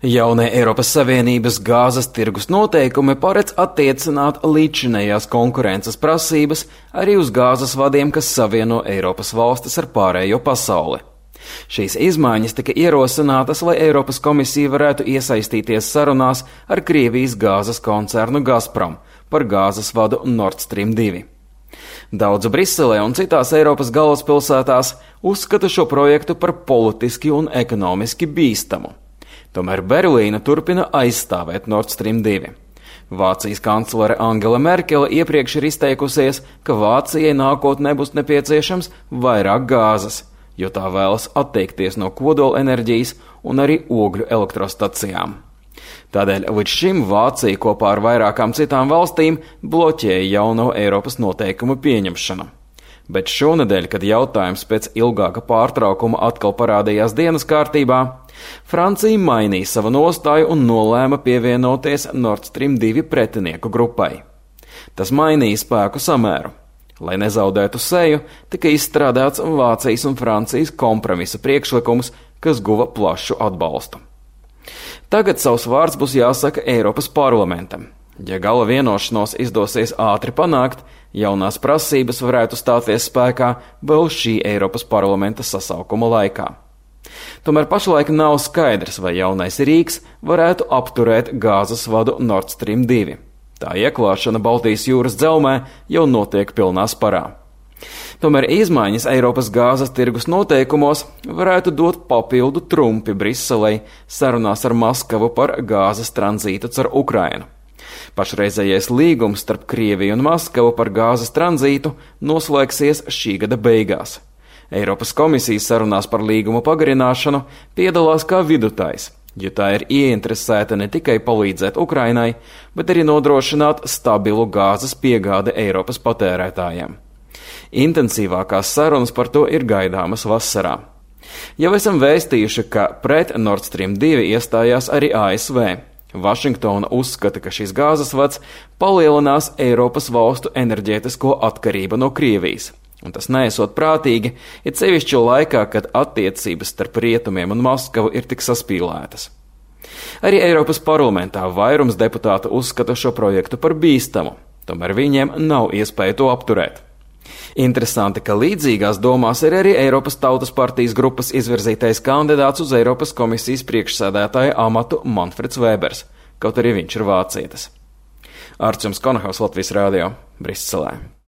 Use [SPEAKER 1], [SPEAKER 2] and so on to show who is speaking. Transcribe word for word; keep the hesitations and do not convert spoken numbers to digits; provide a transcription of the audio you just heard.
[SPEAKER 1] Jaunie Eiropas Savienības gāzes tirgus noteikumi paredz attiecināt līdzinējās konkurences prasības arī uz gāzes vadiem, kas savieno Eiropas valstis ar pārējo pasauli. Šīs izmaiņas tika ierosinātas, lai Eiropas komisija varētu iesaistīties sarunās ar Krievijas gāzes koncernu Gazprom par gāzes vadu Nord Stream divi. Daudz Briselē un citās Eiropas galvaspilsētās uzskata šo projektu par politiski un ekonomiski bīstamu. Tomēr Berlīna turpina aizstāvēt Nord Stream divi. Vācijas kanclere Angela Merkele iepriekš ir izteikusies, ka Vācijai nākotnē būs nepieciešams vairāk gāzes, jo tā vēlas atteikties no kodola enerģijas un arī ogļu elektrostacijām. Tādēļ līdz šim Vācija kopā ar vairākām citām valstīm bloķēja jauno Eiropas noteikumu pieņemšanu. Bet šonedēļ, kad jautājums pēc ilgāka pārtraukuma atkal parādījās dienas kārtībā, Francija mainīja savu nostāju un nolēma pievienoties Nord Stream divi pretinieku grupai. Tas mainīja spēku samēru. Lai nezaudētu seju, tika izstrādāts Vācijas un Francijas kompromisa priekšlikums, kas guva plašu atbalstu. Tagad savs vārds būs jāsaka Eiropas parlamentam. Ja gala vienošanos izdosies ātri panākt, jaunās prasības varētu stāties spēkā vēl šī Eiropas parlamenta sasaukuma laikā. Tomēr pašlaik nav skaidrs, vai jaunais rīks varētu apturēt gāzes vadu Nord Stream divi. Tā ieklāšana Baltijas jūras dzelmē jau notiek pilnā sparā. Tomēr izmaiņas Eiropas gāzes tirgus noteikumos varētu dot papildu trumpi Briselei sarunās ar Maskavu par gāzes tranzītu caur Ukrainu. Pašreizējais līgums starp Krieviju un Maskavu par gāzes tranzītu noslēgsies šī gada beigās. Eiropas komisijas sarunās par līguma pagarināšanu piedalās kā vidutājs, jo tā ir ieinteresēta ne tikai palīdzēt Ukrainai, bet arī nodrošināt stabilu gāzes piegādi Eiropas patērētājiem. Intensīvākās sarunas par to ir gaidāmas vasarā. Jau esam vēstījuši, ka pret Nord Stream divi iestājās arī A S V. Vašingtona uzskata, ka šis gāzes vads palielinās Eiropas valstu enerģētisko atkarību no Krievijas. Un tas neesot prātīgi, ir sevišķi laikā, kad attiecības starp rietumiem un Maskavu ir tik saspīlētas. Arī Eiropas parlamentā vairums deputātu uzskata šo projektu par bīstamu, tomēr viņiem nav iespēja to apturēt. Interesanti, ka līdzīgās domās ir arī Eiropas Tautas partijas grupas izvirzītais kandidāts uz Eiropas komisijas priekšsēdētāja amatu Manfreds Vēbers, kaut arī viņš ir vācietis. Arčuns Konahaus, Latvijas Rādio, Briselē.